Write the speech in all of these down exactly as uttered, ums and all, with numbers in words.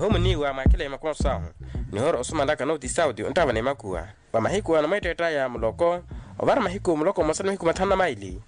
Ohimuniiwa mwaakheleye makonso ahu nihoora osumanlaka nooti sauti onttaavana emakuwa. Wa mahiku anamweetteett'aya muloko ovara mahiku muloko mmosa ni mahiku mathanu na maili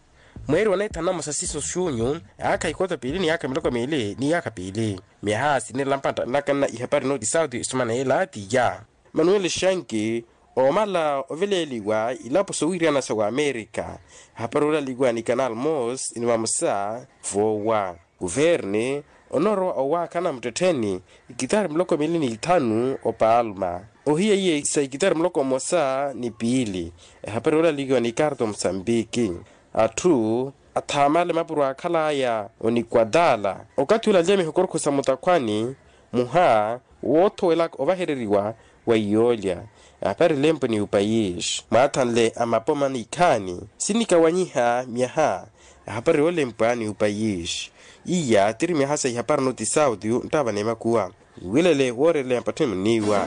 mweeri wa neethanu na mmosa siiso xunyu, yaakha ikota piili ni yaakha miloko miili ni yaakha piili. Myaha sinirela mpattanlaka nna ihapari nooti sauti esumana yeela tiya manuel shanki oomala oveleeliwa ilapo sowiirana sa wamerika. Ehapari olaliwa ni canal mos ni vamosa voowa kuverni onoorowa owaakhana muttettheni ikitari muloko miili ni ithanu opalma ohiya iye sa ikitari muloko mmosa ni piili. Ehapari olaliwa ni karto musambiki atthu athaamale mapuro aakhal'aya onikwadala okathi olalya mihokorokho sa mutakhwani muha woothowelaka ovahereriwa wa iyoolya. Ehaparile mpuni upayis mwaathanle amapoma ni ikhaani sinikawanyiha myaha. Ehapari yoolempwa ni upayis iya tiri myaha sa ihapari noti sauti nttaavana emakuwa. Wiwilele wooreleya mpatthuni muniiwa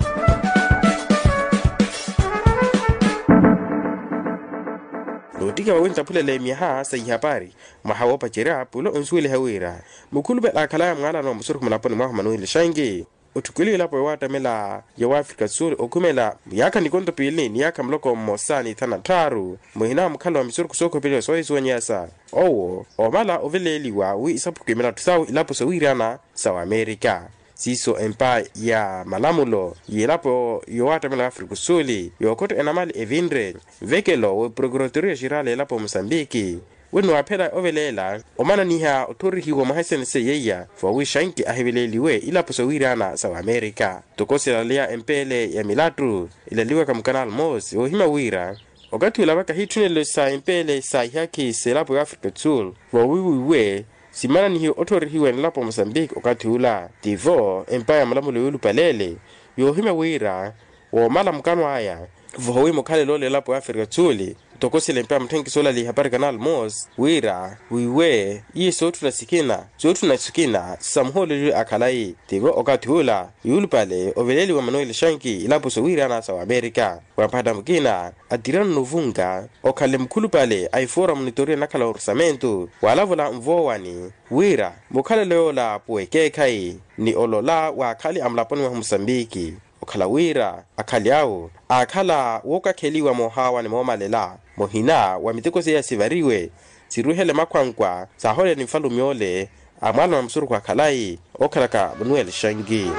noottika vawe nttaphulele myaha sa ihapari mwaha woopacerya pula onsuweliha wira mukhulupale aakhalaya mwaalano wa musurukhu mulaponi mwahu manuel shangi otthukeliwa elapo yowaattamela ya waafrika sul okhumela yaakha nikonto piili ni yaakha muloko mmosa ni ithanu na tthaaru muhina mukhala wa misurukhu sookhopeliwa soohisuwanyeyasa owo oomala oveleeliwa wi isaphuke milatthu sawe ilapo sowiirana sa wamerika. Siiso empa ya malamulo yelapo yowaattamela waafrika sul yookhotta enamali evinre nvekelo wa prokuratoria xirali elapo musambiki wenniwaaphela oveleela omananiha otthorihiwa mwaha esenese yeiya voowiixanki ahiveleeliwe ilapo sowiirana sa wamerika. Ntoko silaleya empeele ya milattu ilaliwaka mukanal mos woohimya wira okathi ula vakahiitthunelo sa empeele sa ihakhi selapo ya afrika sul voowiwiwe simananihiwe otthorihiwa ni elapo musambiki okathi ula tivo empa ya malamulo yoolupaleele yoohimya wira woomala mukano aya voowi mukhalelo lelapo ya afrika sul. Ntoko sila empa ya mutthenkiso olali ihapari canal mos wira wiiwe iye sootthuna sikina sootthuna sikina sa muhooleliwe akhalayi tivo okathi ula yuulupale oveleeliwa manuel shanki ilapo sowiirana sa wamerika wamphatta mukina atirano novunga okhanle mukhulupale a ifoora munitoriya nakhala orusamento waalavula nvoowani wira mukhalelo yoola puwa ekeekhayi ni olola waakhali a mulaponi mwahu musambiki okhala wira akhali awo aakhala wookakheliwa moohaawani moomalela muhina wa miteko seiya sivariwe siruhele makhwankwa saaholela ni nfalume ole a mwaalana wa musurukhu akhalayi ookhalaka manuel shangi.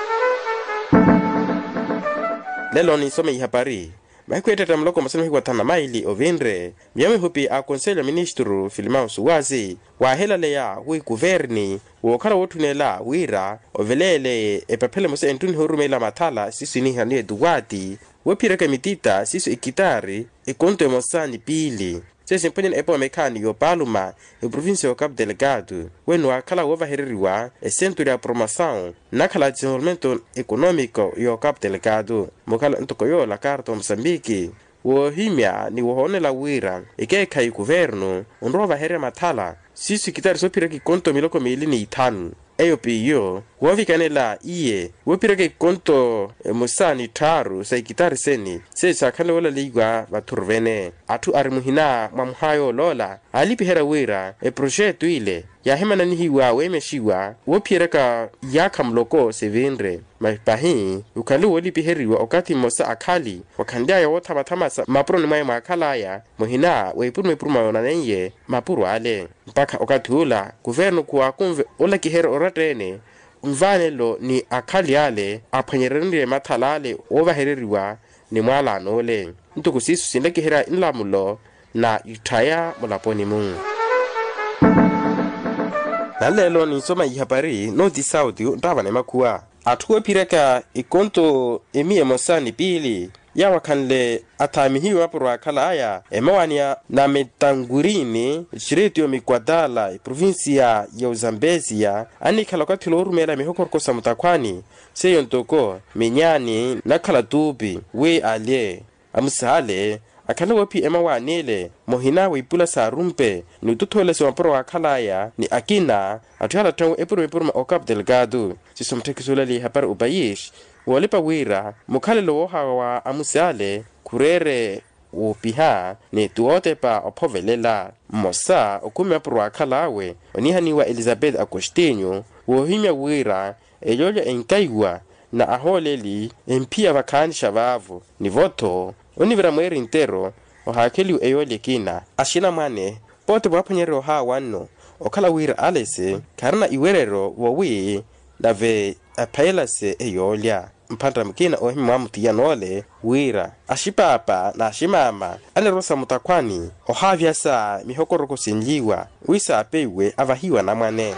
Lelo ninsome ihapari mahiku eettetta muloko mmosa ni mahiku athanu na maili ovinre miyo mihupi a konselho ya ministru filimao suwazi waahelaleya wi kuverni wookhala wootthunela wira oveleeleye epaphela emosa enttuniha orumelela mathala siiso iniihaniwa etuwaati woophiyeraka emitita siiso ekitaari ekonto emosa ni piili seiyo simponyani epooma ekhaani yoopaluma eprovincia ya ocapu delegado wenniwaakhala woovahereriwa esenturu ya promosawu nnakhala desenvolvimento economico ya ocapu delegado mukhala ntoko yoola karto musambiki woohimya ni wohoonela wira ekeekhayi kuvernu onrowa ovahererya mathala siiso ekitaari soophiraka ekonto miloko miili ni ithanu eyo piiyo woovikanela iye woophiraka ekonto emosa ni tthaaru sa ekitaari seni seiyo saakhanle woolaliwa vathuruvene atthu ari muhina mwa muhaayo oloola aalipiherya wira eproxeto ile yaahimananihiwa weemexiwa woophiyeraka iyaakha muloko sivinre masi pahi ukhanle woolipiheriwa okathi mmosa akhali wakhanly'aya woothamathamasa mmapuroni mwaye mwaakhal'aya muhina wa ipuruma ipuruma yoonaneiye mapuro ale mpakha okathi ula kuvernu khuwaakunve olakiherya oratta-ene nvaanelo ni akhali ale aphwanyerenrye mathala ale woovahereriwa ni mwaalano ole ntoko siiso sinlakiherya nlamulo na itthaya mulaponi-mu. Nanleelo ninsoma ihapari nooti sauti nttaavana emakhuwa atthu oophiryaka ekonto emiya emosa ni piili yaawakhanle athaamihiwe mapuro aakhal'aya emawaani ya nametangurini exiretiyo mikwatala eprovincia ya ozambezia annikhala okathi ula oorumeela mihokoroko sa mutakhwaani seiyo ntoko minyaani nakhala tuupi wi alye amusaale akhale woophiya emawaani ele muhina wa ipula saarumpe ni otothoolesiwa mapuro waakhal'aya ni akina atthu yaala atthu epuruma epuruma ocapu delegado siiso mutthekiso olaliha para opayis woolipa wira mukhalelo woohawa wa amusi ale khureere woopiha ni ti wootepa ophovelela mmosa okhumi mapuro waakhal'awe oniihaniwa elizabeth agostinho woohimya wira eyoolya enkaiwa na ahooleli emphiya vakhaanixa vaavo. Nivo-tho onivira mweeri ntero ohaakheliwa eyooli ekina. Axinamwane pooti vwaaphwanyerya ohaawa nno okhala wira alese kharina iwereryo vowi nave aphayelase eyoolya. Mphantta mukina oohimya mwaamutiya noole wira axipaapa n'aximaama anirosa mutakhwani ohaavyasa mihokoroko sinlyiwa wi saapeiwe avahiwe anamwane.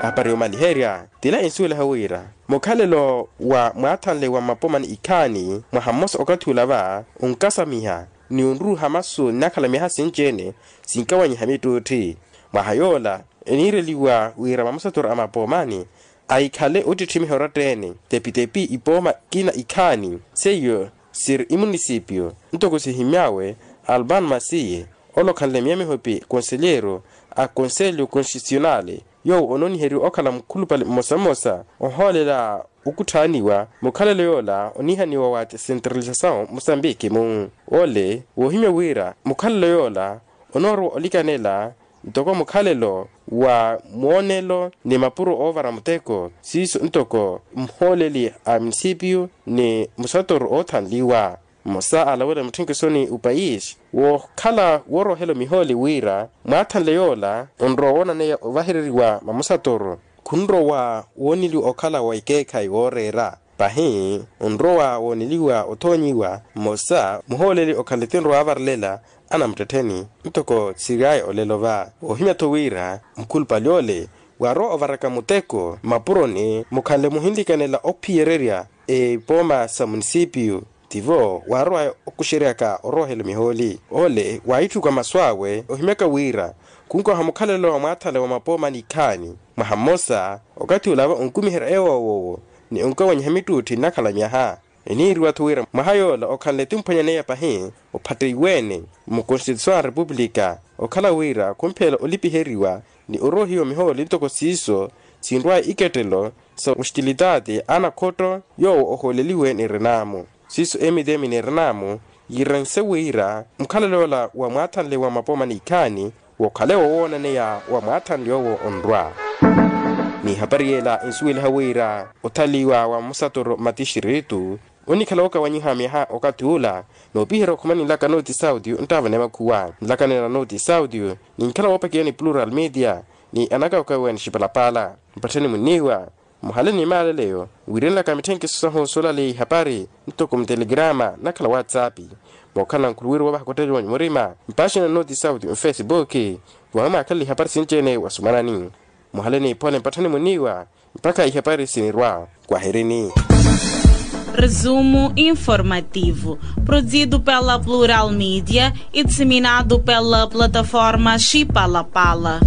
Ahapari yoomaliherya tila ensuwelaha wira mukhalelo wa mwaathanle wa mapomani ikhaani mwaha mmosa okathi ula va onkasamiha ni onruuha masu nnakhala myaha sinci-ene sinkawanyiha mittuutthi. Mwaha yoola eniireliwa wira mamusaturu a mapoomani ahikhale ottitthimiha oratta-ene tepitepi ipooma kina ikhaani seiyo siri imunisipio ntoko sihimy'awe alban masiye ole okhanle miya mihopi konselyeeru a konselyo konstitisyonale yoowo onooniheriwa okhala mukhulupale mmosa mmosa ohoolela okutthaaniwa mukhalelo yoola oniihaniwa wa desentralisasawu musambiki-mu. Ole woohimya wira mukhalelo yoola onoorowa olikanela ntoko mukhalelo wa moonelo ni mapuro oovara muteko siiso ntoko muhooleli a munisipiyu ni musatoru oothanliwa. Mmosa aalawela mutthinkisoni opayisi wookhala woorohela omihooli wira mwaathanle yoola onrowa woonaneya ovahereriwa mamusatoru khunrowa wooneliwa okhala wa ikeekhayi wooreera. Pahi onrowa wooneliwa othoonyiwa mmosa muhooleli okhanle tinrowa avarelela anamuttettheni ntoko siryaaya olelo va. Woohimya-tho wira mukhulupale ole waarowa ovaraka muteko mmapuroni mukhanle muhinlikanela ophiyererya epooma sa munisipiyu tivo waarowaya okuxeryaka oroohela mihooli. Ole waahitthukwa masu awe ohimyaka wira khunkoha mukhalelo wa mwaathanle wa mapoomani ikhaani mwaha mmosa okathi ula va onkumiherya ewoowoowo ni onkawanyiha mittuutthi nnakhala myaha. Eniiriwa-tho wira mwaha yoola okhanle timphwanyaneya pahi ophatteiwe-ene mukonstituisaw a repupulika okhala wira khumphela olipiheriwa ni oroohiwa mihooli ntoko siiso sinrwaya ikettelo sa muxitilitaati anakhotto yoowo ohooleliwe ni renaamu siiso emitemi ni renaamu yiirense wira mukhalelo yoola wa mwaathanle wa mapoomani ikhaani wokhale wowoonaneya wa mwaathanle yoowo onrwa. Ni ehapari yeela ensuweliha wira othaliwa wa musatoro mmatixiritu onikhala wookawanyiha myaha okathi ula noopiherya okhuma ni nlaka nooti sauti onttaavana emakhuwa nlaka nina nooti sauti ninkhala woopakiwa ni plural media ni anakawakawiwa ni xipalapala. Mpattheni munniiwa muhale ni maaleleyo wiirenlaka mitthenkiso sahu soolaleya ihapari ntoko mutelegrama nnakhala whatsapp mookhala nkhuluwiru woovaha kotteeliwa ni murima mpaaxina nooti sauti mfesibuki voohimwaakhalela ihapari sinci-ene wasumanani. Muhale ni iphole mpattheni munniiwa mpakha ihapari sinirwa kwaherini. Resumo informativo, produzido pela Plural Media e disseminado pela plataforma Chipalapala.